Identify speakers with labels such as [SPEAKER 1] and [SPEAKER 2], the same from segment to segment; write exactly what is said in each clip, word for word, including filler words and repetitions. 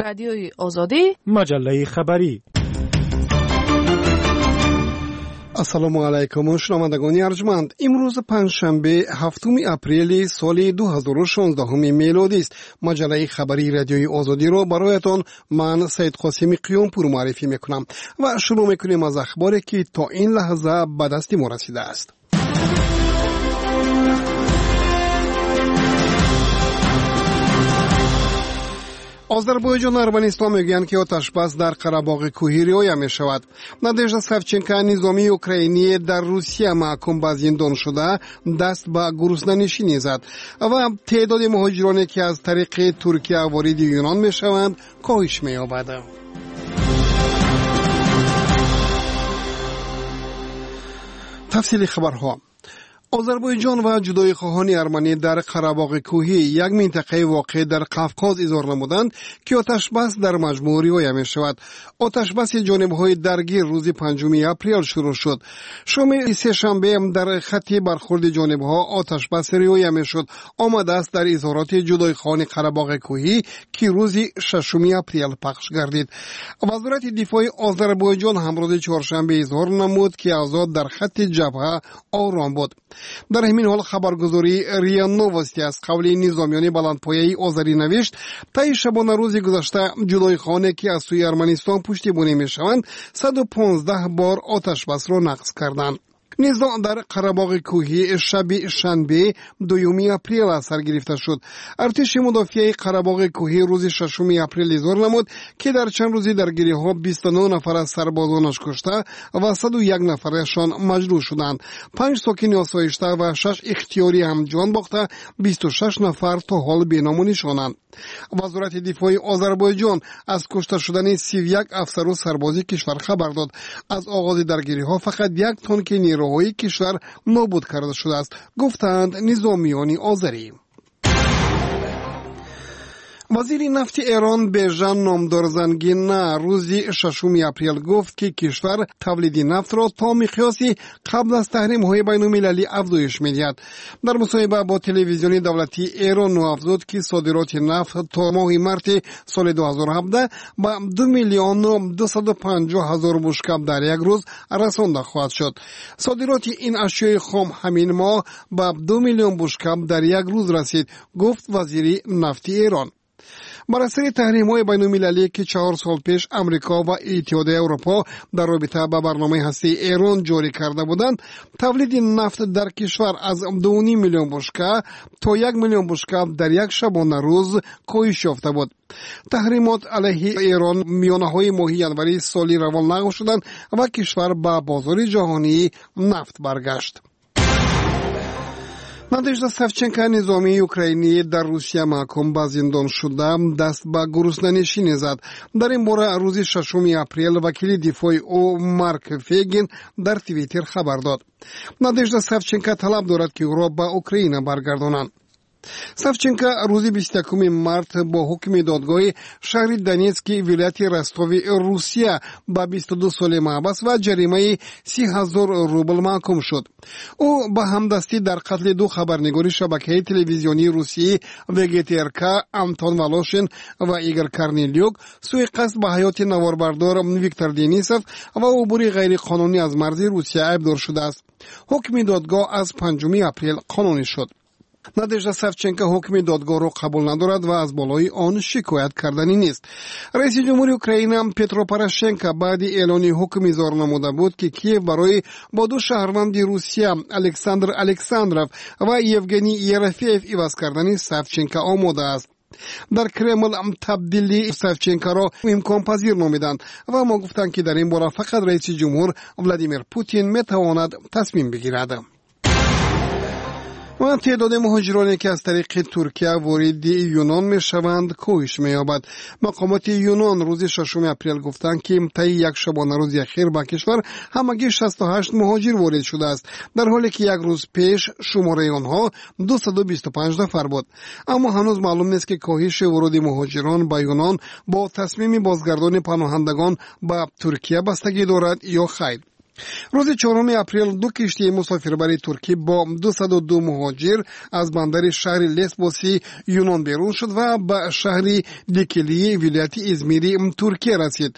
[SPEAKER 1] Радиои Озодӣ,
[SPEAKER 2] маҷаллаи хабарӣ.
[SPEAKER 3] Ассалому алайкум, шунавандагони арҷманд. Имрӯз панҷшанбе, ҳафтуми апрели соли дуҳазору шонздаҳуми мелодист. Маҷаллаи хабарии Радиои Озодиро бароятон ман Саидқосими Қиёмпур муаррифӣ мекунам ва шурӯъ мекунем аз ахборе, ки то ин лаҳза ба дасти мо расидааст. Озарбойҷон ва Арманистон мегӯянд, ки оташбас дар Қарабоғи кӯҳӣ риоя мешавад. Надежда Савченко, низомии украинӣ дар Русия маҳкум ба зиндон шуда, даст ба гуруснанишинӣ зад ва теъдоди муҳоҷироне, ки аз тариқи Туркия вориди Юнон мешаванд, коҳиш меёбад. Тафсили хабарҳо. Озарбойҷон ва ҷудоихоҳони арманӣ дар Қарабоғи кӯҳӣ, як минтақаи воқеъ дар Қавқоз, изҳор намуданд, ки оташбас дар маҷмӯъ риоя мешавад. Оташбаси ҷонибҳои даргир рӯзи панҷуми апрел шурӯъ шуд. Шоми сешанбе дар хатти бархурди ҷонибҳо оташбас риоя мешуд. Омадааст дар изҳороти ҷудоихоҳони Қарабоғи кӯҳӣ, ки рӯзи шашуми апрел пахш гардид. Вазорати дифои Озарбойҷон ҳам рӯзи чоршанбе изҳор намуд, ки авзоъ дар хатти ҷабҳа ором буд. Дар ҳамин ҳол хабаргузории РИА Новости аз қавли низомиёни баландпояи озарӣ навишт, таи шабонарӯзи гузашта ҷудоихоҳоне, ки аз сӯи Арманистон пуштибонӣ мешаванд, саду понздаҳ бор оташбасро нақз карданд. Низоъ дар Қарабоғи кӯҳӣ шаби шанбе, дуюми апрел аз сар гирифта шуд. Артиши мудофиаи Қарабоғи кӯҳӣ рӯзи шашуми апрел изҳор намуд, ки дар чанд рӯзи даргириҳо бисту нӯҳ нафар аз сарбозонаш кушта ва саду як нафарашон маҷрӯҳ шуданд. Панҷ сокини осоишта ва шаш ихтиёрӣ ҳам ҷон бохта, бисту шаш нафар то ҳол беному нишонанд. Вазорати дифои Озарбойҷон аз кушта шудани сию як афсару сарбози кишвар хабар дод. Аз оғози даргириҳо фақат як тонки нерӯҳои кишвар нобуд карда шудааст, гуфтаанд низомиёни озарӣ. Вазири нафти Эрон Бежан Номдорзангина рӯзи шашуми апрел гуфт, ки кишвар тавлиди нафтро то миқёси қабл аз таҳримҳои байналмилалӣ афзоиш медиҳад. Дар мусоҳиба бо телевизиони давлатии Эрон ӯ афзуд, ки содироти нафт то моҳи марти соли дуҳазору ҳабдаҳ ба ду миллиону дусаду панҷоҳ ҳазор бушкаб дар як рӯз расонда хоҳад шуд. Содироти ин ашёи хом ҳамин моҳ ба ду миллион бушкаб дар як рӯз расид, гуфт вазири нафти Эрон. Бар асари таҳримҳои байналмилалӣ, ки чаҳор сол пеш Амрико ва Иттиҳоди Аврупо дар робита ба барномаи ҳастаии Эрон ҷорӣ карда буданд, тавлиди нафт дар кишвар аз дуву ним миллион бушка то як миллион бушка дар як шабонарӯз коҳиш ёфта буд. Таҳримот алайҳи Эрон миёнаҳои моҳи январи соли равон лағв шуданд ва кишвар ба бозори ҷаҳонии нафт баргашт. Надежда Савченко, низомии украинӣ дар Русия маҳкум ба зиндон шуда, даст ба гуруснанишинӣ зад. Дар ин бора рӯзи шашуми апрел вакили дифои ӯ Марк Фегин дар Твиттер хабар дод. Надежда Савченко талаб дорад, ки ӯро ба Украина баргардонанд. Савченко рӯзи бисту якуми март бо ҳукми додгоҳи шаҳри Донецки вилояти Ростови Русия ба бисту ду соли маҳбас ва ҷаримаи си ҳазор рубл маҳкум шуд. Ӯ ба ҳамдастӣ дар қатли ду хабарнигори шабакаи телевизионии русии В Г Т Р К Антон Волошин ва Игор Корнелюк, суиқасд ба ҳаёти наворбардор Виктор Денисов ва убури ғайриқонунӣ аз марзи Русия айбдор шудааст. Ҳукми додгоҳ аз панҷуми апрел қонунӣ шуд. Надежда Савченко ҳукми додгоҳро қабул надорад ва аз болои он шикоят карданӣ нест. Раиси ҷумҳури Украина Петро Порошенко баъди эълони ҳукм изҳор намуда буд, ки Киев барои бо ду шаҳрванди Русия Александр Александров ва Евгений Ерофеев иваз кардани Савченко омода аст. Дар Кремл табдили Савченкоро имконпазир номиданд ва мо гуфтанд, ки дар ин бора фақат раиси ҷумҳур Владимир Путин метавонад тасмим бигирад. Ва теъдоди муҳоҷироне, ки аз тариқи Туркия вориди Юнон мешаванд, коҳиш меёбад. Мақомоти Юнон рӯзи шашуми апрел гуфтанд, ки таи як шабонарӯзи ахир ба кишвар ҳамагӣ шасту ҳашт муҳоҷир ворид шудааст, дар ҳоле ки як рӯз пеш шумораи онҳо дусаду бисту панҷ нафар буд. Аммо ҳанӯз маълум нест, ки коҳиши вуруди муҳоҷирон ба Юнон бо тасмими бозгардони паноҳандагон ба Туркия бастагӣ дорад ё хайр. Рӯзи чоруми апрел ду киштии мусофирбари туркӣ бо дусаду ду муҳоҷир аз бандари шаҳри Лесбоси Юнон берун шуд ва ба шаҳри Дикилии вилояти Измири Туркия расид.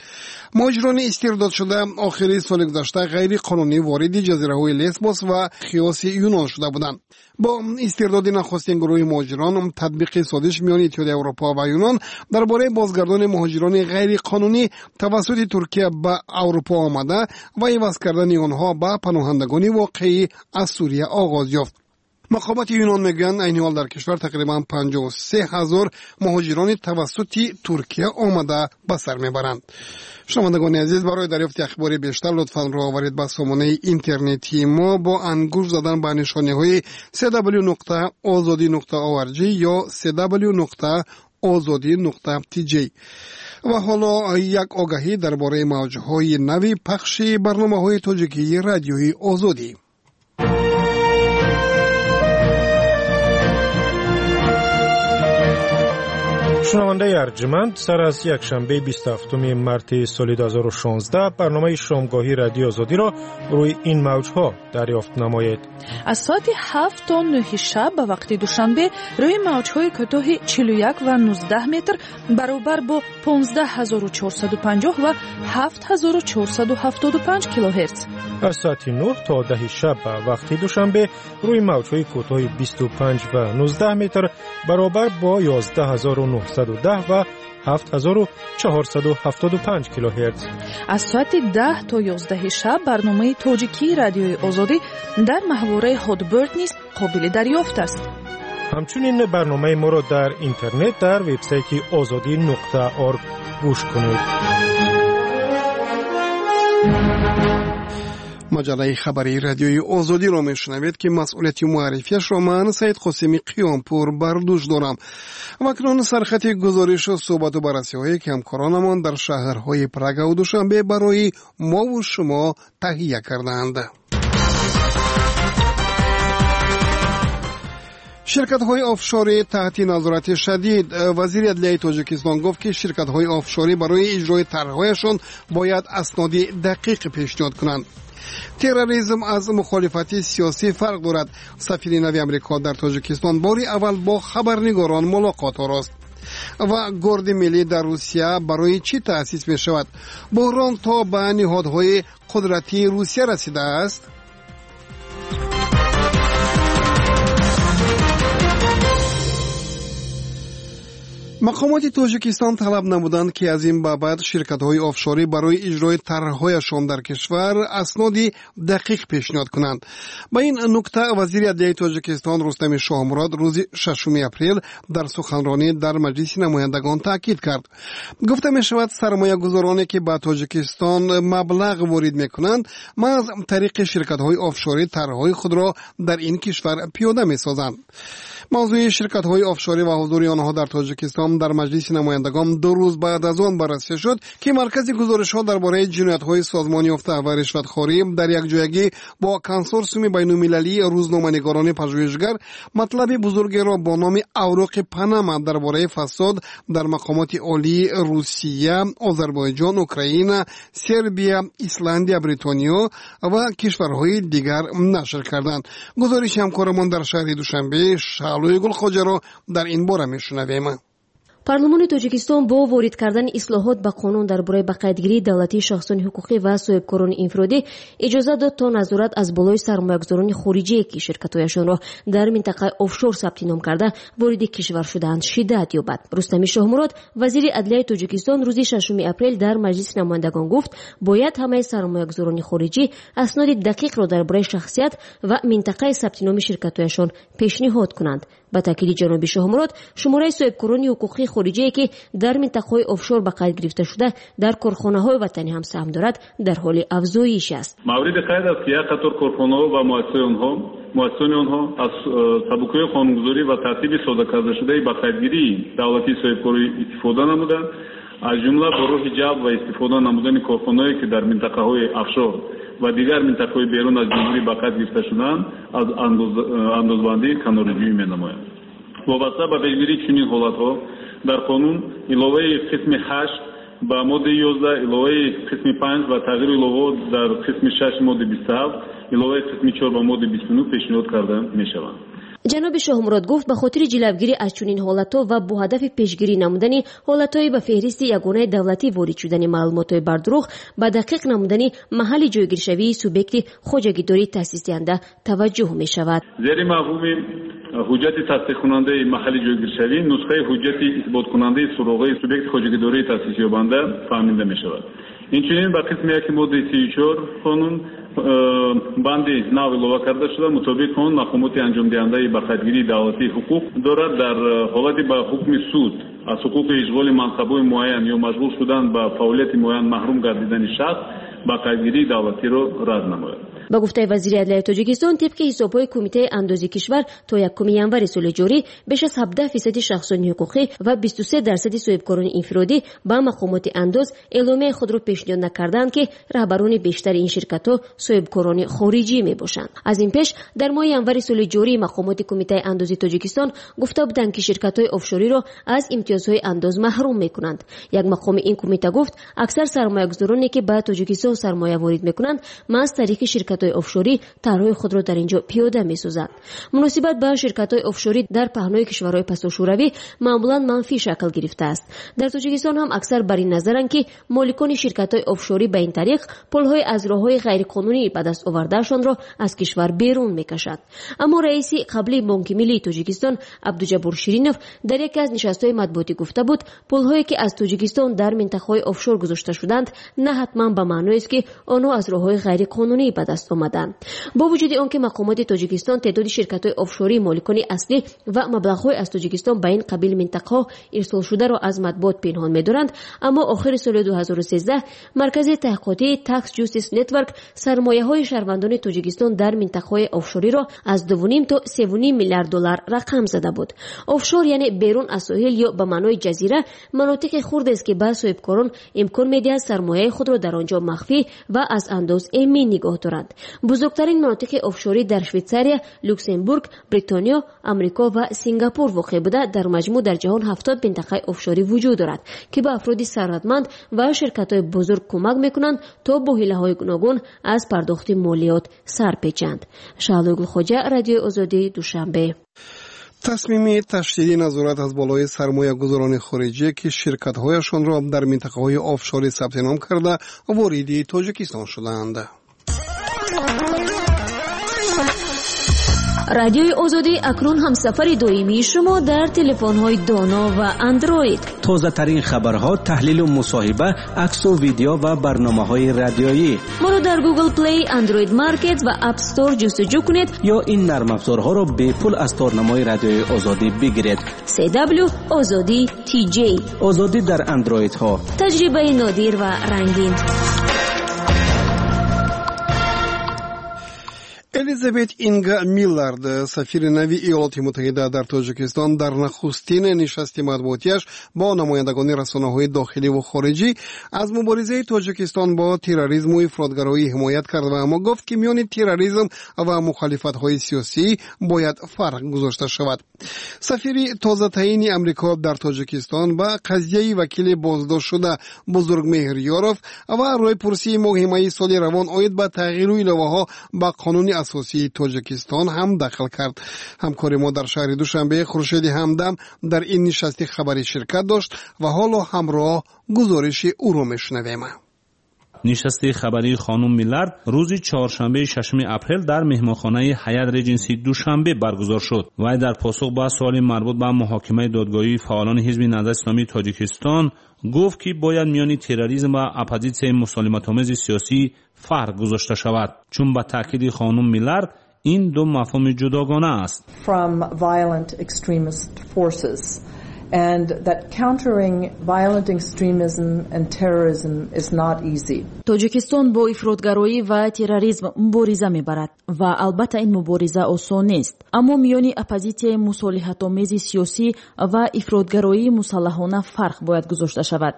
[SPEAKER 3] Муҳоҷирони истирдодшуда охири соли гузашта ғайриқонунӣ вориди ҷазираҳои Лесбос ва Хиоси Юнон шуда буданд. Бо истирдоди нахустин гурӯҳи муҳоҷирон, татбиқи созиш миёни Иттиҳоди Аврупо ва Юнон дар бораи бозгардони муҳоҷирони ғайриқонунӣ тавассути Туркия ба Аврупо омада ва иваз кардани онҳо ба паноҳандагони воқеӣ аз Сурия оғоз ёфт. Мақомоти Юнон мегӯянд, айни ҳол дар кишвар тақрибан панҷоҳу се ҳазор муҳоҷирони тавассути Туркия омада ба сар мебаранд. Шунавандагони азиз, барои дарёфти ахбори бештар лутфан рӯ оваред ба сомонаи интернетии мо бо ангушт задан ба нишониҳои си дабл ю нуқта озодӣ нуқта орг ё си дабл ю нуқта озодӣ нуқта ти ҷей. Ва ҳоло як огаҳӣ дар бораи мавҷҳои нави пахши барномаҳои тоҷикии радиои Озодӣ.
[SPEAKER 1] Шунавандаи арҷманд, сар аз якшанбе бисту ҳафтуми марти соли ду ҳазору шонздаҳ барномаи шомгоҳии радиои Озодиро рӯи ин мавҷҳо дарёфт намоед.
[SPEAKER 2] Аз соати ҳафт то нӯҳи шаб ба вақти Душанбе рӯи мавҷҳои кӯтоҳи чилу як ва нуздаҳ метр баробар бо понздаҳ ҳазору чорсаду панҷоҳ ва ҳафт ҳазору чорсаду ҳафтоду панҷ килогерц.
[SPEAKER 1] Аз соати нӯҳ то даҳи шаб ба вақти Душанбе рӯи мавҷҳои кӯтоҳи бисту панҷ ва нуздаҳ метр баробар бо ёздаҳ ҳазору нӯҳсаду даҳ ва ҳафт ҳазору чорсаду ҳафтоду панҷ килогерц.
[SPEAKER 2] Аз соати даҳ то ёздаҳи шаб барномаи тоҷикии радиои Озодӣ дар маҳвораи Hotbird низ қобили дарёфт аст.
[SPEAKER 1] Ҳамчунин барномаи моро дар интернет дар вебсайти озодӣ нуқта орг гӯш кунед.
[SPEAKER 3] Маҷаллаи хабарии радиои Озодиро мешунавед, ки масъулияти муаррифиашро ман Саид Қосими Қиёмпур бар дӯш дорам. Ва акнун сархати гузоришу суҳбату баррасиҳое, ки ҳамкоронамон дар шаҳрҳои Прагаву Душанбе барои мову шумо таҳия кардаанд. Ширкатҳои офшорӣ таҳти назорати шадид. Вазири адлияи Тоҷикистон гуфт, ки ширкатҳои офшорӣ барои иҷрои тарҳҳояшон бояд асноди дақиқ пешниҳод кунанд. Терроризм аз мухолифати сиёсӣ фарқ дорад. Сафири нави Амрико дар Тоҷикистон бори аввал бо хабарнигорон мулоқот орост. Ва Горди миллӣ дар Русия барои чӣ таъсис мешавад? Буҳрон то ба ниҳодҳои қудратии Русия расидааст? Мақомоти Тоҷикистон талаб намуданд, ки аз ин ба баъд ширкатҳои офшорӣ барои иҷрои тарҳҳояшон дар кишвар асноди дақиқ пешниҳод кунанд. Ба ин нукта вазири адлияи Тоҷикистон Рустами Шоҳмурод рӯзи шашуми апрел дар суханронӣ дар Маҷлиси намояндагон таъкид кард. Гуфта мешавад, сармоягузороне, ки ба Тоҷикистон маблағ ворид мекунанд, маҳз тариқи ширкатҳои офшорӣ тарҳҳои худро дар ин кишвар пиёда месозанд. Мавзӯи ширкатҳои офшорӣ ва ҳузури онҳо дар Тоҷикистон дар Маҷлиси намояндагон ду рӯз баъд аз он баррасӣ шуд, ки маркази гузоришҳо дар бораи ҷиноятҳои созмонёфта ва ришватхорӣ дар якҷоягӣ бо консорсиуми байнулмилалии рӯзноманигорони пажӯҳишгар матлаби бузургеро бо номи Авроқи Панама дар бораи фасод дар мақомоти олии Русия, Озарбойҷон, Украина, Сербия, Исландия, Бритониё ва кишварҳои дигар нашр карданд. Гузориши ҳамкорамон дар шаҳри Душанбе Шаълои Гулхоҷаро дар ин бора мешунавем.
[SPEAKER 4] Парлумони Тоҷикистон бо ворид кардани ислоҳот ба қонун дар бораи ба қайдгирии давлатии шахсони ҳуқуқӣ ва соҳибкорони инфиродӣ иҷозат дод, то назорат аз болои сармоягузорони хориҷие, ки ширкатҳояшонро дар минтақаи офшор сабти ном карда вориди кишвар шудаанд, шиддат ёбад. Рустами Шоҳмурод, вазири адлияи Тоҷикистон, рӯзи шашуми апрел дар Маҷлиси намояндагон гуфт, бояд ҳамаи сармоягузорони хориҷӣ асноди дақиқро дар бораи шахсият ва минтақаи сабти номи ширкатҳояшон пешниҳод кунанд. Ба таъкиди ҷаноби Шоҳмурод, шумораи соҳибкорони ҳуқуқии хориҷие, ки дар минтақаҳои офшор ба қайд гирифта шуда дар корхонаҳои ватанӣ ҳам саҳм дорад, дар ҳоли афзоиш аст.
[SPEAKER 5] Мавриди қайд аст, ки як қатор корхонаҳо ва муассисаҳои онҳо аз сабукиҳои қонунгузорӣ ва тартиби сода кардашудаи ба қайдгирии давлатии соҳибкорӣ истифода намуда, аз ҷумла бо роҳи ҷалб ва истифода намудани корхонаҳое, ки дар минтақаҳои офшор ва дигар минтақаҳои берун аз ҷумҳурӣ ба қайд гирифта шудаанд, аз андозбандӣ канораҷӯӣ менамоянд. Вобаста ба пешгирии чунин ҳолатҳо дар қонун иловаи қисми ҳашт Ба моддаи ёздаҳ иловаи қисми панҷ ва тағйиру иловаҳо дар қисми шаш моддаи бисту ҳафт, иловаи қисми чор ба моддаи бисту нӯҳ пешниҳод карда мешаванд.
[SPEAKER 4] Ҷаноби Шоҳмурод гуфт, ба хотири ҷилавгирӣ аз чунин ҳолатҳо ва бо ҳадафи пешгирӣ намудани ҳолатҳои ба феҳристи ягонаи давлатӣ ворид шудани маълумотҳои бардурӯғ, ба дақиқ намудани маҳалли ҷойгиршавии субъекти хоҷагидории таъсисдиҳанда таваҷҷӯҳ мешавад.
[SPEAKER 5] Зери мафҳуми ҳуҷҷати тасдиқкунандаи маҳалли ҷойгиршавӣ нусхаи ҳуҷҷати исботкунандаи суроғаи субъекти хоҷагидории таъсисёбанда фаҳмида мешавад. Инчунин ба қисми яки моддаи сию чор қонун банди нав илова карда шуда, мутобиқи он мақомоти анҷомдиҳандаи ба қайдгирии давлатӣ ҳуқуқ дорад дар ҳолати ба ҳукми суд аз ҳуқуқи ишғоли мансабҳои муайян ё машғул шудан ба фаъолияти муайян маҳрум гардидани шахс ба қайдгирии давлатиро рад намояд.
[SPEAKER 4] Ба гуфтаи вазири адлияи Тоҷикистон, тибқи ҳисобҳои Кумитаи андози кишвар то якуми январи соли ҷорӣ беш аз ҳабдаҳ фисади шахсони ҳуқуқӣ ва бисту се дарсади соҳибкорони инфиродӣ ба мақомоти андоз эъломияи худро пешниҳод накарданд, ки раҳбарони бештари ин ширкатҳо соҳибкорони хориҷӣ мебошанд. Аз ин пеш дар моҳи январи соли ҷорӣ мақомоти Кумитаи андози Тоҷикистон гуфта буданд, ки ширкатҳои офшориро аз имтиёзҳои андоз маҳрум мекунанд. Як мақоми ин кумита гуфт, аксар сармоягузороне ки ба Тоҷикистон сармоя ворид мекунанд, маҳз тариқи ширкат ширкатҳои офшорӣ тарҳҳои худро дар ин ҷо пиёда месозанд. Муносибат ба ширкатҳои офшорӣ дар паҳнои кишварҳои пасошӯравӣ маъмулан манфӣ шакл гирифтааст. Дар Тоҷикистон ҳам аксар бар ин назаранд, ки моликони ширкатҳои офшорӣ ба ин тариқ пулҳои аз роҳҳои ғайриқонунӣ ба даст овардаашонро аз кишвар берун мекашанд. Аммо раиси қаблии Бонки Миллии Тоҷикистон Абдуҷаббор Ширинов дар яке аз нишастҳои матбуотӣ гуфта буд, пулҳое ки аз Тоҷикистон дар минтақаҳои офшор гузошта шуданд, на ҳатман ба маъноест, ки онҳо аз роҳҳои ғайриқонунӣ ба даст омаданд. Бо вуҷуди он ки мақомоти Тоҷикистон теъдоди ширкатҳои офшории моликони аслӣ ва маблағҳои аз Тоҷикистон ба ин қабил минтақаҳо ирсолшударо аз матбуот пинҳон медоранд, аммо охири соли ду ҳазору сездаҳ Маркази таҳқиқотии Tax Justice Network сармояҳои шаҳрвандони Тоҷикистон дар минтақаҳои офшориро аз дуву ним то севу ним миллиард доллар рақам зада буд. Офшор яъне берун аз соҳил ё ба маънои ҷазира манотиқи хурдест, ки ба соҳибкорон имкон медиҳад сармояи худро дар он ҷо махфӣ ва аз андоз эмин нигоҳ доранд. Бузургтарин манотиқи офшорӣ дар Швейтсария, Люксембург, Бритониё, Амрико ва Сингапур воқеъ буда, дар маҷмӯъ дар ҷаҳон ҳафтод минтақаи офшорӣ вуҷуд дорад, ки ба афроди сарватманд ва ширкатҳои бузург кӯмак мекунанд то бо ҳилаҳои гуногун аз пардохти молиёт сар печанд. Шаҳлои Гулхоҷа, Радиои Озодӣ, Душанбе.
[SPEAKER 3] Тасмими ташдиди назорат аз болои сармоягузорони хориҷӣ, ки ширкатҳояшонро дар минтақаҳои офшорӣ сабти ном карда вориди Тоҷикистон шуданд.
[SPEAKER 4] Радиои Озодӣ акнун ҳамсафари доимии шумо дар телефонҳои доно ва Андроид.
[SPEAKER 6] Тозатарин хабарҳо, таҳлилу мусоҳиба, аксу видео ва барномаҳои радиоӣ.
[SPEAKER 4] Моро дар Google Play, Android Market ва App Store ҷустуҷӯ кунед
[SPEAKER 6] ё ин нармафзорҳоро бепул аз торнамои Радиои Озодӣ бигиред.
[SPEAKER 4] си дабл ю Озодӣ ти ҷей.
[SPEAKER 6] Озодӣ дар Андроидҳо.
[SPEAKER 4] Таҷрибаи нодир ва рангин.
[SPEAKER 3] Элизабет Инга Миллард, сафири нави Иёлоти Муттаҳида дар Тоҷикистон, дар нахустин нишасти матбуотиаш бо намояндагони расонаҳои дохилӣ ва хориҷӣ аз муборизаи Тоҷикистон бо терроризму ифротгароӣ ҳимоят кард ва аммо гуфт, ки миёни терроризм ва мухолифатҳои сиёсӣ бояд фарқ гузошта шавад. Сафири тозатаини Амрико дар Тоҷикистон ба қазияи вакили боздоштшуда Бузургмеҳр Ёров ва рӯйпурсии моҳи майи соли равон оид ба тағйиру иловаҳо ба қонуни асосии Тоҷикистон ҳам дахл кард. Ҳамкори мо дар шаҳри Душанбе Хуршеди Ҳамдам дар ин нишасти хабарӣ ширкат дошт ва ҳоло ҳамроҳ гузориши ӯро мешунавем.
[SPEAKER 7] Нишасти хабарии хонум Миллард рӯзи чоршанбеи шашуми апрел дар меҳмонхонаи Ҳаят Реҷенси Душанбе баргузор шуд. Вай дар посух ба суоли марбут ба муҳокимаи додгоҳии фаъолони ҳизби Наҳзати Исломии Тоҷикистон гуфт, ки бояд миёни терроризм ва оппозитсияи мусолиматомези сиёсӣ фарқ гузошта шавад, чун ба таъкиди хонум Миллард ин ду мафҳуми ҷудогона аст.
[SPEAKER 8] And that countering violent extremism and terrorism is not easy.
[SPEAKER 9] Тоҷикистон бо ифротгароӣ ва терроризм мубориза мебарад ва албатта ин мубориза осон нест. Аммо миёни оппозитсияи мусолиҳатомези сиёсӣ ва ифротгароии мусаллаҳона фарқ бояд гузошта шавад.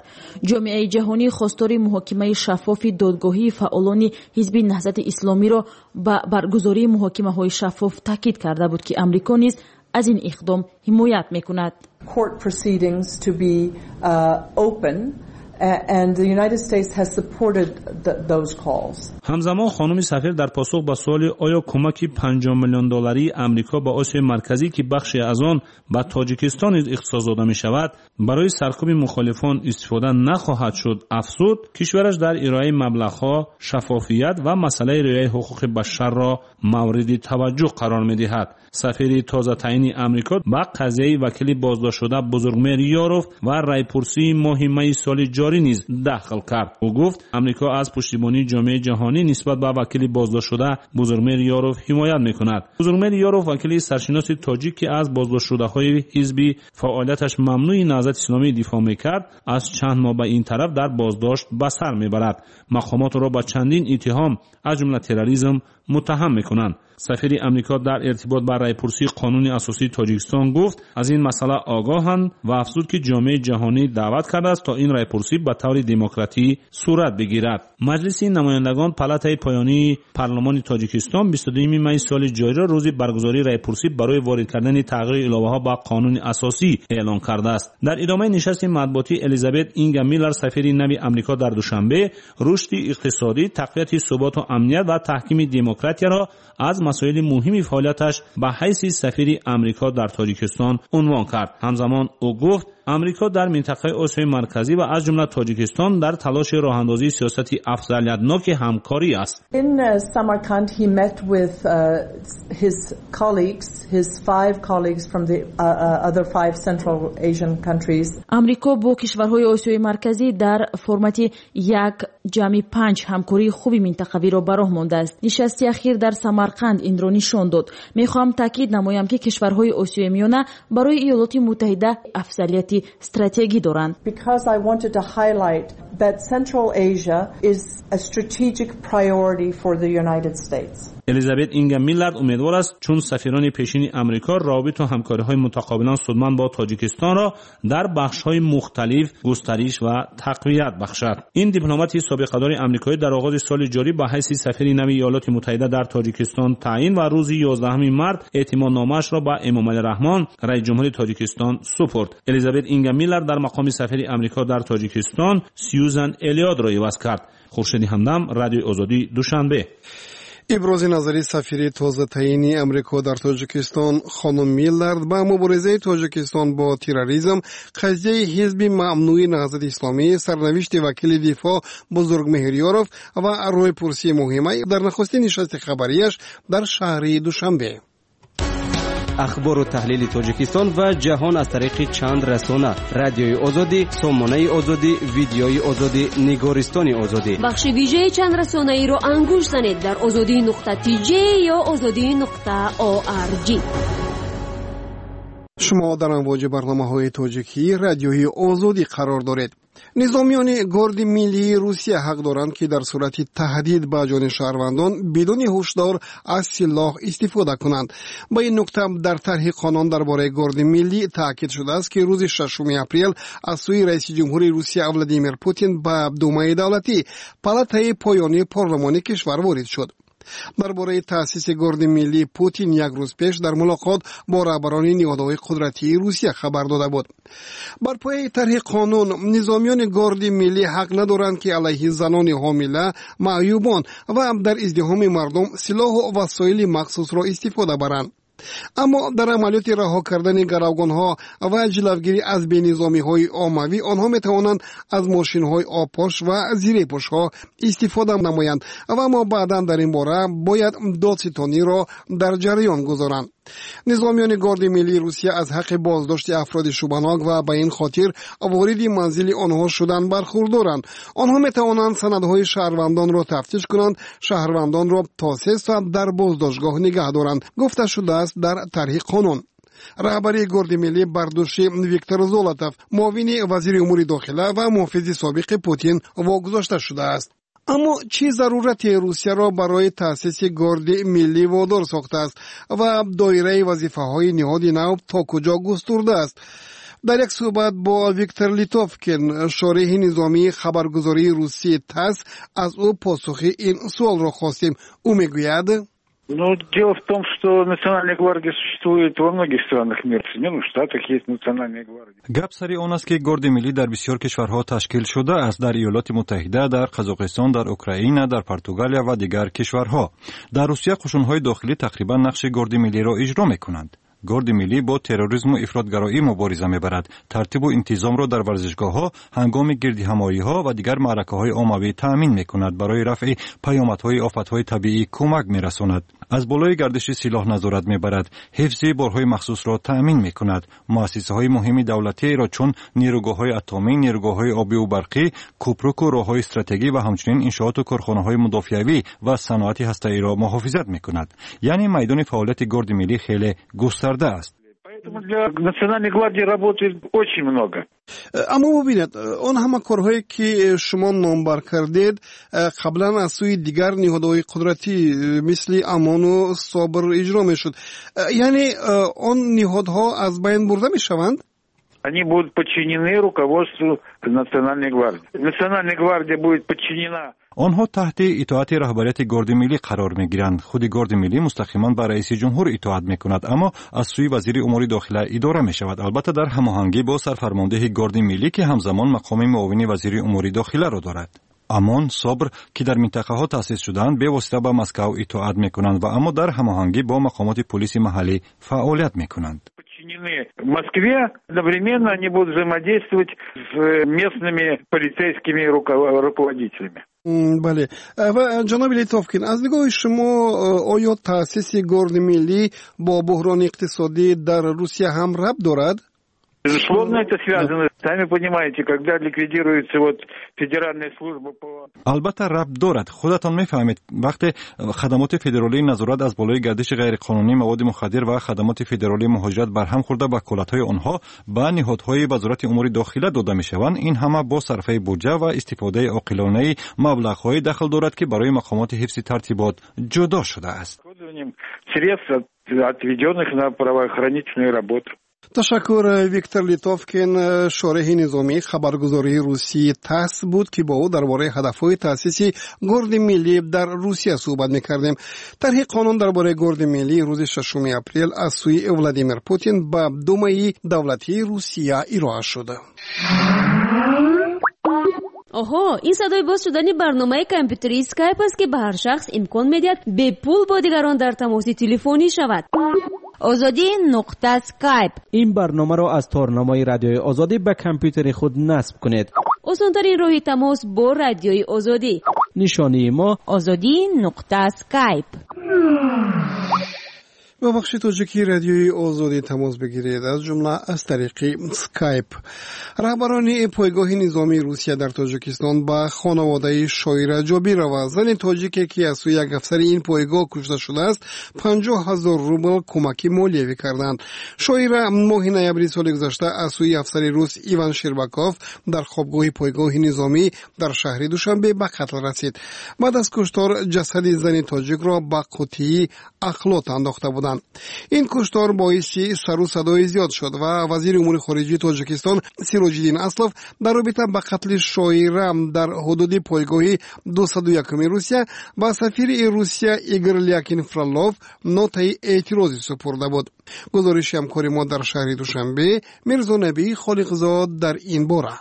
[SPEAKER 9] Ҷомеаи ҷаҳонӣ хостори муҳокимаи шаффофи додгоҳии фаъолони ҳизби Наҳзати Исломиро ба баргузории муҳокимаҳои шаффоф таъкид карда буд, ки Амрико низ аз ин иқдом ҳимоят мекунад.
[SPEAKER 8] Court proceedings to be uh, open And the United States has supported the, those calls.
[SPEAKER 7] Ҳамзамон хонуми сафир дар посух ба суоли оё кӯмаки панҷоҳ миллион долларии Амрико ба Осиёи Марказӣ, ки бахше аз он ба Тоҷикистон низ ихтисос дода мешавад, барои саркӯби мухолифон истифода нахоҳад шуд, афзуд кишвараш дар ироаи маблағҳо шаффофият ва масъалаи риояи ҳуқуқи башарро мавриди таваҷҷӯҳ қарор медиҳад. Сафири тозатаъини Амрико ба қазияи вакили боздоштшуда Бузургмеҳр Ёров ва райпурсии моҳи майи соли ҷорӣ низ дахл кард. Ӯ гуфт Амрико аз пуштибонии ҷомеаи ҷаҳонӣ нисбат ба вакили боздоштшуда Бузургмеҳр Ёров ҳимоят мекунад. Бузургмеҳр Ёров вакили саршиноси тоҷик, ки аз боздоштшудаҳои ҳизби фаъолияташ мамнӯи Наҳзати Исломӣ дифоъ мекард, аз чанд моҳ ба ин тараф дар боздошт ба сар мебарад. Мақомот ӯро ба чандин иттиҳом аз ҷумла терроризм муттаҳам мекунанд. Сафири Амрико дар иртибот ба райпурсии қонуни асосии Тоҷикистон гуфт аз ин масъала огоҳанд ва афзуд ки ҷомеаи ҷаҳонӣ даъват кардааст то ин райпурсӣ ба таври демократӣ сурат бигирад. Маҷлиси намояндагон палатаи поёнии парлумони Тоҷикистон бисту дуюми майи соли ҷориро рӯзи баргузории райпурсӣ барои ворид кардани тағйири иловаҳо ба қонуни асосӣ эълон кардааст. Дар идомаи нишасти матбуотӣ Элизабет Инга Миллар, сафири нави Амрико дар Душанбе, рушди иқтисодӣ, тақвияти суботу амният ва таҳкими демократияро аз масоили муҳими фаъолияташ ба ҳайси сафири Амрико дар Тоҷикистон унвон кард. Ҳамзамон ӯ гуфт Амрико дар минтақаи Осиёи Марказӣ ва аз ҷумла Тоҷикистон дар талоши роҳандозии сиёсати афзалиятноки ҳамкорӣ аст.
[SPEAKER 8] In Samarkand he met with uh, his colleagues, his five colleagues from the uh, other five Central Asian countries.
[SPEAKER 9] Амрико бо кишварҳои Осиёи Марказӣ дар формати як ҷамъи панҷ ҳамкории хуби минтақавиро ба роҳ мондааст. Нишасти ахир дар Самарқанд инро нишон дод. Мехоҳам таъкид намоям, ки кишварҳои Осиёи Миёна барои Иёлоти Муттаҳида афзалияти стратегӣ доранд.
[SPEAKER 8] Because I wanted to highlight that Central Asia is a strategic priority for the United States.
[SPEAKER 7] Элизабет Инга Миллард умедвор аст, чун сафирони пешини Амрико равобиту ҳамкориҳои мутақобилан судманд бо Тоҷикистонро дар бахшҳои мухталиф густариш ва тақвият бахшад. Ин дипломати собиқадори амрикоӣ дар оғози соли ҷорӣ ба ҳайси сафири нави Иёлоти Муттаҳида дар Тоҷикистон таъин ва рӯзи ёздаҳуми март эътимодномаашро ба Эмомалӣ Раҳмон, раиси ҷумҳури Тоҷикистон, супурд. Элизабет Инга Миллард дар мақоми сафири Амрико дар Тоҷикистон Сьюзан Элиотро иваз кард. Хуршеди Ҳамдам, Радиои Озодӣ, Душанбе.
[SPEAKER 3] Ибрози назари сафири тозатаъини Амрико дар Тоҷикистон хонум Миллард ба муборизаи Тоҷикистон бо терроризм, қазияи ҳизби мамнӯи Наҳзати Исломӣ, сарнавишти вакили дифоъ Бузургмеҳр Ёров ва рӯйпурсии муҳима дар нахустин нишасти хабарияш дар шаҳри Душанбе.
[SPEAKER 6] Ахбору таҳлили Тоҷикистон ва ҷаҳон аз тариқи чанд расона: Радиои Озодӣ, Сомонаи Озодӣ, Видеои Озодӣ, Нигористони Озодӣ.
[SPEAKER 4] Бахши вижаи чанд расонаиро ангушт занед дар озодӣ нуқта тж ё озодӣ нуқта орг.
[SPEAKER 3] Шумо дар амвоҷи барномаҳои тоҷикии Радиои Озодӣ қарор доред. Низомиёни Горди миллии Русия ҳақ доранд, ки дар сурати таҳдид ба ҷони шаҳрвандон бидуни ҳушдор аз силоҳ истифода кунанд. Ба ин нукта дар тарҳи қонун дар бораи Горди миллӣ таъкид шудааст, ки рӯзи шашуми апрел аз сӯи раиси ҷумҳури Русия Владимир Путин ба Думаи давлатӣ, палатаи поёнии парлумони кишвар, ворид шуд. Дар бораи таъсиси Горди миллӣ Путин як рӯз пеш дар мулоқот бо раҳбарони ниҳодҳои қудратии Русия хабар дода буд. Бар пояи тарҳи қонун низомиёни Горди миллӣ ҳақ надоранд, ки алайҳи занони ҳомила, маъюбон ва дар издиҳоми мардум силоҳу васоили махсусро истифода баранд. Аммо дар амалиёти раҳо кардани гаравгонҳо ва ҷилавгирӣ аз бенизомиҳои оммавӣ онҳо метавонанд аз мошинҳои обпош ва зирепӯшҳо истифода намоянд ва аммо баъдан дар ин бора бояд додситониро дар ҷараён гузоранд. Низомиёни Горди миллии Русия аз ҳаққи боздошти афроди шубҳанок ва ба ин хотир вориди манзили онҳо шудан бархурдоранд. Онҳо метавонанд санадҳои шаҳрвандонро тафтиш кунанд, шаҳрвандонро то се соат дар боздоштгоҳ нигаҳ доранд, гуфта шудааст дар тарҳи қонун. Раҳбарии Горди миллӣ бар дӯши Виктор Золотов, муовини вазири умури дохила ва муҳофизи собиқи Путин, вогузошта шудааст. Аммо чӣ зарурате Русияро барои таъсиси Горди миллӣ водор сохтааст ва доираи вазифаҳои ниҳоди нав то куҷо густурдааст? Дар як суҳбат бо Виктор Литовкин, шореҳи низомии хабаргузории русии ТАСС, аз ӯ посухи ин суолро хостем. Ӯ мегӯяд:
[SPEAKER 10] Ну, дело в том, что Национальная гвардия существует во многих странах мира. В Соединенных Штатах есть Национальная гвардия.
[SPEAKER 11] Гап сари он аст, ки Горди миллӣ дар бисёр кишварҳо ташкил шудааст: дар Иёлоти Муттаҳида, дар Қазоқистон, дар Украина, дар Португалия ва дигар кишварҳо. Дар Русия қушунҳои дохилӣ тақрибан нақши Горди миллиро иҷро мекунанд. Горди миллӣ бо терроризму ифротгароӣ мубориза мебарад, тартибу интизомро дар варзишгоҳҳо ҳангоми гирдиҳамоиҳо ва дигар маъракаҳои оммавӣ таъмин мекунад, барои рафъи паёмадҳои офатҳои табиӣ кӯмак мерасонад, аз болои гардиши силоҳ назорат мебарад, ҳифзи борҳои махсусро таъмин мекунад, муассисаҳои муҳими давлатиеро, чун нерӯгоҳҳои атомӣ, нерӯгоҳҳои обиву барқӣ, кӯпруку роҳҳои стратегӣ ва ҳамчунин иншооту корхонаҳои мудофиавӣ ва саноати ҳастаиро муҳофизат мекунад. Яъне майдони фаъолияти Горди миллӣ хеле густарда аст.
[SPEAKER 10] Поэтому для Национальной гвардии работы очень много.
[SPEAKER 3] Аммо бубинед, он ҳама корҳое, ки шумо номбар кардед, қаблан аз сӯи дигар ниҳодҳои қудратӣ, мисли ОМОНу СОБР, иҷро мешуд. Яъне он ниҳодҳо аз байн бурда мешаванд?
[SPEAKER 10] Они будут подчинены руководству Национальной гвардии. Национальная гвардия будет подчинена.
[SPEAKER 11] Онҳо таҳти итоати раҳбарияти Горди миллӣ қарор мегиранд. Худи Горди миллӣ мустақиман ба раиси ҷумҳур итоат мекунад, аммо аз сӯи вазири умури дохила идора мешавад, албатта, дар ҳамоҳангӣ бо сарфармондеҳи Горди миллӣ, ки ҳамзамон мақоми муовини вазири умури дохиларо дорад. ОМОН, СОБР, ки дар минтақаҳо таъсис шудаанд, бевосита ба Москав итоат мекунанд ва аммо дар ҳамоҳангӣ бо мақомоти пулиси маҳаллӣ фаъолият мекунанд.
[SPEAKER 10] Подчинены Москве, одновременно они будут взаимодействовать с местными полицейскими руководителями.
[SPEAKER 3] Бале, ва ҷаноби Литовкин, аз нигоҳи шумо, оё таъсиси Горди миллӣ бо буҳрони иқтисодӣ дар Русия ҳам рабт дорад?
[SPEAKER 10] Безусловно, это связано. Сами понимаете, когда ликвидируется вот федеральная служба по...
[SPEAKER 11] Албатта, рабт дорад. Худатон мефаҳмед, вақте хадамоти федералии назорат аз болои гардиши ғайриқонунии маводи мухаддир ва хадамоти федералии муҳоҷират барҳам хӯрда, ваколатҳои онҳо ба ниҳодҳои Вазорати умури дохила дода мешаванд, ин ҳама бо сарфаи буҷа ва истифодаи оқилонаи маблағҳое дахл дорад, ки барои мақомоти ҳифзи тартибот ҷудо шудааст.
[SPEAKER 10] Средств, отведенных на правоохранительную работу.
[SPEAKER 3] Ташаккур. Виктор Литовкин, шореҳи низомии хабаргузории русии ТАСС буд, ки бо ӯ дар бораи ҳадафҳои таъсиси Горди миллӣ дар Русия суҳбат мекардем. Тарҳи қонун дар бораи Горди миллӣ рӯзи шашуми апрел аз сӯи Владимир Путин ба Думаи давлатии Русия ироа шуд.
[SPEAKER 4] Оҳо, ин садои боз шудани барномаи компютерии Скайп аст, ки ба ҳар шахс имкон медиҳад бепул бо дигарон дар тамоси телефонӣ шавад.
[SPEAKER 12] Озодӣ нуқта скайп.
[SPEAKER 6] Ин барномаро аз торнамои Радиои Озодӣ ба компютери худ насб кунед.
[SPEAKER 4] Осонтарин роҳи тамос бо Радиои Озодӣ.
[SPEAKER 6] Нишонии мо:
[SPEAKER 12] Озодӣ нуқта скайп.
[SPEAKER 3] Ба бахши тоҷикии Радиои Озодӣ тамос бигиред, аз ҷумла аз тариқи Скайп. Раҳбарони пойгоҳи низомии Русия дар Тоҷикистон ба хонаводаи Шоира Ҷобирова, зани тоҷике, ки аз сӯи як афсари ин пойгоҳ кушта шудааст, панҷоҳ ҳазор рубл кӯмаки молиявӣ карданд. Шоира моҳи ноябри соли гузашта аз сӯи афсари рус Иван Шербаков дар хобгоҳи пойгоҳи низомӣ дар шаҳри Душанбе ба қатл расид. Баъд аз куштор ҷасади зани тоҷикро ба қутии ахлот андохта буданд. Ин куштор боиси сару садои зиёд шуд ва вазири умури хориҷии Тоҷикистон Сироҷиддин Аслов дар робита ба қатли Шоира дар ҳудуди пойгоҳи дусаду якуми Русия ба сафири Русия Игор Лякин Фролов нотаи эътирозӣ супурда буд. Гузориши ҳамкори мо дар шаҳри Душанбе, Мирзонабӣ Холиқзод, дар ин бора.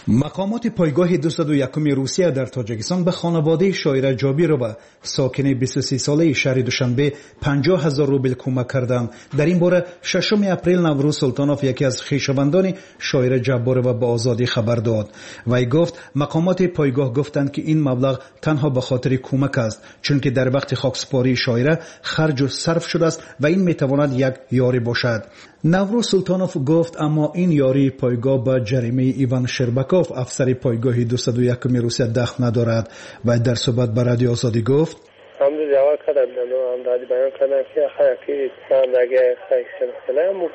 [SPEAKER 13] Мақомоти пойгоҳи дусаду якуми Русия дар Тоҷикистон ба хонаводаи Шоира Ҷобирова, сокини бисту се солаи шаҳри Душанбе, панҷоҳ ҳазор рубл кӯмак карданд. Дар ин бора шашуми апрел Наврӯз Султонов, яке аз хешовандони Шоира Ҷабборова, ба Озодӣ хабар дод. Вай гуфт, мақомоти пойгоҳ гуфтанд, ки ин маблағ танҳо ба хотири кӯмак аст, чунки дар вақти хоксупории Шоира харҷу сарф шудааст ва ин метавонад як ёрӣ бошад. Наврӯз Султонов гуфт, аммо ин ёрии пойгоҳ ба ҷаримаи Иван Шербаков, афсари пойгоҳи дусаду якуми Русия, дахл надорад. Вай дар суҳбат ба Радиои Озодӣ гуфт:
[SPEAKER 14] Ҳамду ҷавоб кардам, ҳамдардӣ баён кардам, ки ки ҳамдаги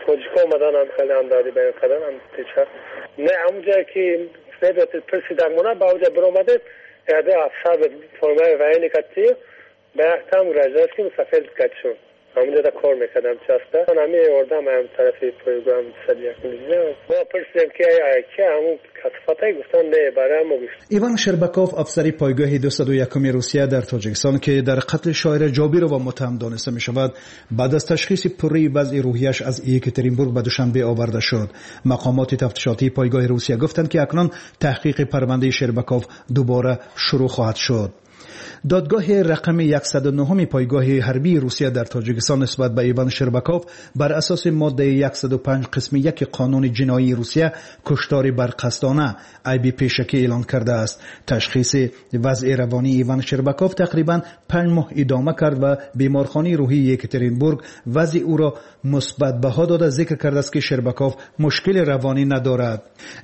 [SPEAKER 14] тоҷико омадан, ҳам хеле ҳамдардӣ баён кардан. Не, ҳамун ҷое ки пирсидан мона, ба онҷа биромадем, яде афсар формаи военный кати ба яктам гражданский мусафир катишон. Ҳамунҷода кор мекардам часта. Ҳамин ёрдам ҳам тарафи пойгоҳ сад якум мо пурсидем ки ки ҳамун касофатай, гуфтан не, барои мо гуфт.
[SPEAKER 13] Иван Шербаков, афсари пойгоҳи дусаду якуми Русия дар Тоҷикистон, ки дар қатли шоира Ҷобирова муттаҳам дониста мешавад, баъд аз ташхиси пурраи вазъи рӯҳияш аз Екатеринбург ба Душанбе оварда шуд. Мақомоти тафтишотии пойгоҳи Русия гуфтанд, ки акнун таҳқиқи парвандаи Шербаков дубора шурӯъ хоҳад шуд. Додгоҳи рақами яксаду нӯҳуми пойгоҳи ҳарбии Русия дар Тоҷикистон нисбат ба Иван Шербаков бар асоси моддаи яксаду панҷ қисми яки қонуни ҷиноии Русия куштори барқасдона айби пешакӣ эълон кардааст. Ташхиси вазъи равонии Иван Шербаков тақрибан панҷ моҳ идома кард ва беморхонаи рӯҳии Екатеринбург вазъи ӯро мусбат баҳо дода зикр кардааст, ки Шербаков мушкили равонӣ надорад.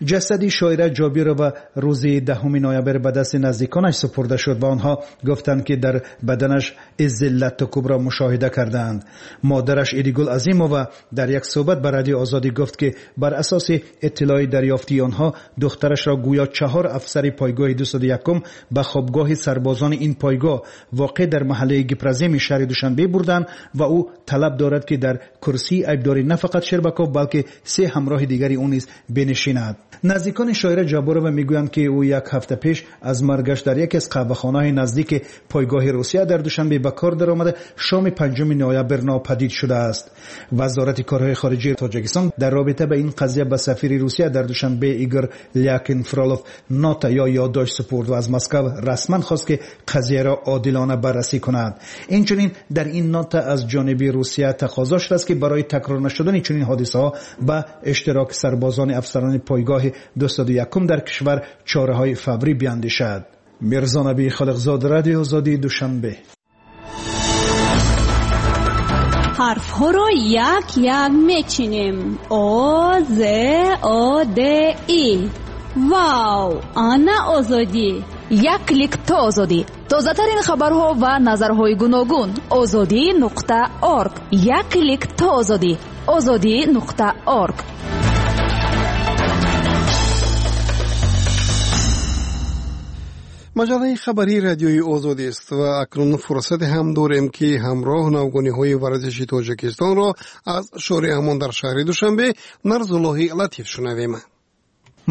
[SPEAKER 13] Ҷасади шоира Ҷобирова рӯзи даҳуми ноябр ба дасти наздиконаш супурда шуд ва онҳо гуфтанд, ки дар баданаш иззи латту кӯбро мушоҳида кардаанд. Модараш Идигул Азимова дар як суҳбат ба Радиои Озодӣ гуфт, ки бар асоси иттилои дарёфтии онҳо духтарашро гӯё чаҳор афсари пойгоҳи дусаду якум ба хобгоҳи сарбозони ин пойгоҳ воқеъ дар маҳаллаи Гипроземи шаҳри Душанбе бурданд ва ӯ талаб дорад, ки дар курсии айбдорӣ на фақат Шербаков, балки се ҳамроҳи дигари ӯ низ бинишинад. Наздикони шоира Ҷабборова мегӯянд, ки ӯ як ҳафта пеш аз маргаш дар яке аз қаҳвахонаҳои наздики пойгоҳи Русия дар Душанбе ба кор даромада шоми панҷуми ноябр нопадид шудааст. Вазорати корҳои хориҷии Тоҷикистон дар робита ба ин қазия ба сафири Русия дар Душанбе Игор Лякин Фролов нота ё ёддошт супурд ва аз Москва расман хост, ки қазияро одилона баррасӣ кунад. Инчунин дар ин нота аз ҷониби Русия тақозо шудааст, ки барои такрор нашудани чунин ҳодисаҳо ба иштироки сарбозони афсарони пойгоҳи дусаду якум дар кишвар чораҳои фаврӣ биандешад. Мирзонаби Халиқзод, Радиои Озодӣ, Душанбе.
[SPEAKER 15] Ҳарфҳоро як-як мечинем. О, З, О, Д, И. Вау! Ана Озодӣ!
[SPEAKER 2] Як клик то Озодӣ. Тозатарин хабарҳо ва назарҳои гуногун. Озодӣ нуқта орг. Як клик то Озодӣ. Озодӣ нуқта орг.
[SPEAKER 3] Маҷаллаи хабарии Радиои Озодист ва акнун фурсате ҳам дорем, ки ҳамроҳ навгониҳои варзиши Тоҷикистонро аз шореҳамон дар шаҳри Душанбе Нарзуллоҳи Латиф шунавем.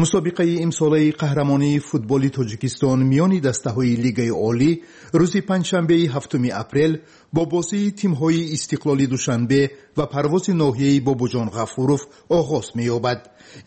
[SPEAKER 16] Мусобиқаи имсолаи қаҳрамонии футболи Тоҷикистон миёни дастаҳои Лигаи Олӣ рӯзи панҷшанбеи ҳафтуми апрел бо бозии тимҳои Истиқлоли Душанбе ва Парвози ноҳияи Бобоҷон Ғафуров оғоз меёбад.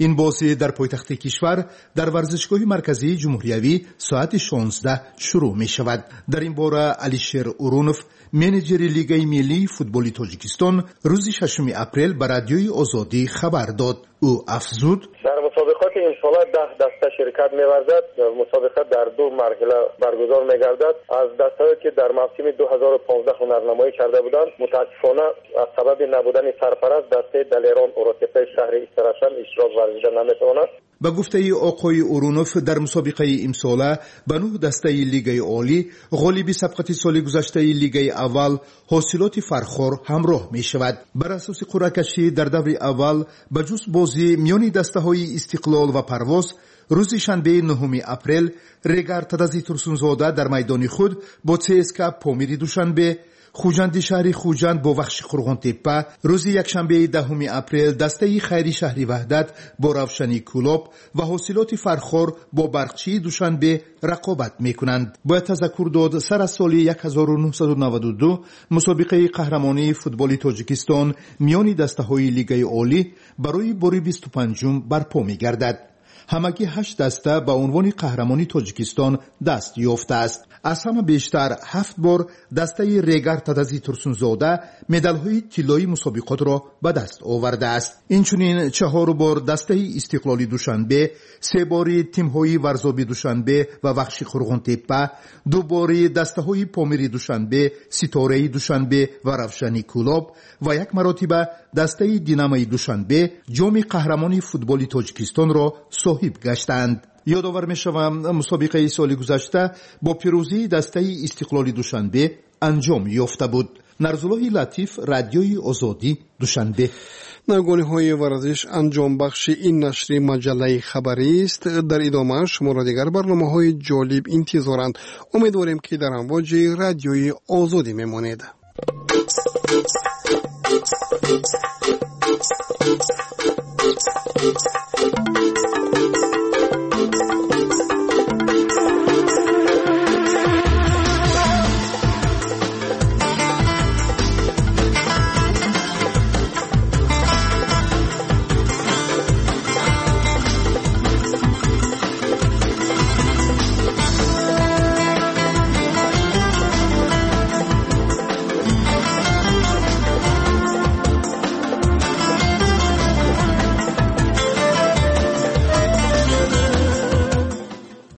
[SPEAKER 16] Ин бозӣ дар пойтахти кишвар дар варзишгоҳи марказии ҷумҳуриявӣ соати шонздаҳ шурӯъ мешавад. Дар ин бора Алишер Урунов, менеҷери Лигаи миллии футболи Тоҷикистон, рӯзи шашуми апрел ба Радиои Озодӣ хабар дод. Ӯ афзуд:
[SPEAKER 17] дар мусобиқоти имсола даҳ даста ширкат меварзад. Мусобиқа дар ду марҳила баргузор мегардад. Аз дастаҳое ки дар мавсими ду ҳазору понздаҳ ҳунарнамоӣ карда буданд, мутаассифона аз сабаби набудани сарпараст дастаи Далерон Уротепаи шаҳри Истарашан иштирок варзида наметавонад.
[SPEAKER 16] Ба гуфтаи оқои Урунов, дар мусобиқаи имсола ба нӯҳ дастаи Лигаи Олӣ ғолиби сабқати соли гузаштаи Лигаи аввал ҳосилоти Фархор ҳамроҳ мешавад. Бар асоси қуръакашӣ дар даври аввал ба ҷуз бозӣ миёни дастаҳои Истиқлол ва Парвоз рӯзи шанбеи нӯҳуми апрел Регар Тадази Турсунзода дар майдони худ бо ЦСК Помири Душанбе, Хуҷанди шаҳри Хуҷанд бо Вахши Қурғонтеппа, рӯзи якшанбеи даҳуми апрел дастаи Хайри шаҳри Ваҳдат бо Равшани Кӯлоб ва ҳосилоти Фархор бо Барқчии Душанбе рақобат мекунанд. Бояд тазаккур дод, сар аз соли ҳазору нӯҳсаду наваду ду мусобиқаи қаҳрамонии футболи Тоҷикистон миёни дастаҳои Лигаи Олӣ барои бори бисту панҷум барпо мегардад. Ҳамагӣ ҳашт даста ба унвони қаҳрамони Тоҷикистон даст ёфтааст. Аз ҳама бештар ҳафт бор дастаи Регар Тадази Турсунзода медалҳои тиллоии мусобиқотро ба даст овардааст. Инчунин чаҳор бор дастаи Истиқлоли Душанбе, се бори тимҳои Варзоби Душанбе ва Вахши Қурғонтеппа, ду бори дастаҳои Помири Душанбе, Ситораи Душанбе ва Равшани Кӯлоб ва як маротиба дастаи Динамои Душанбе ҷоми қаҳрамони футболи Тоҷикистонро соҳиб гаштанд. Ёдовар мешавам, мусобиқаи соли гузашта бо пирӯзии дастаи Истиқлоли Душанбе анҷом ёфта буд. Нарзуллоҳи Латиф, Радиои Озодӣ, Душанбе.
[SPEAKER 3] Навгониҳои варзиш анҷомбахши ин нашри маҷаллаи хабарист. Дар идома шуморо дигар барномаҳои ҷолиб интизоранд. Умедворем, ки дар амвоҷи Радиои Озодӣ мемонед.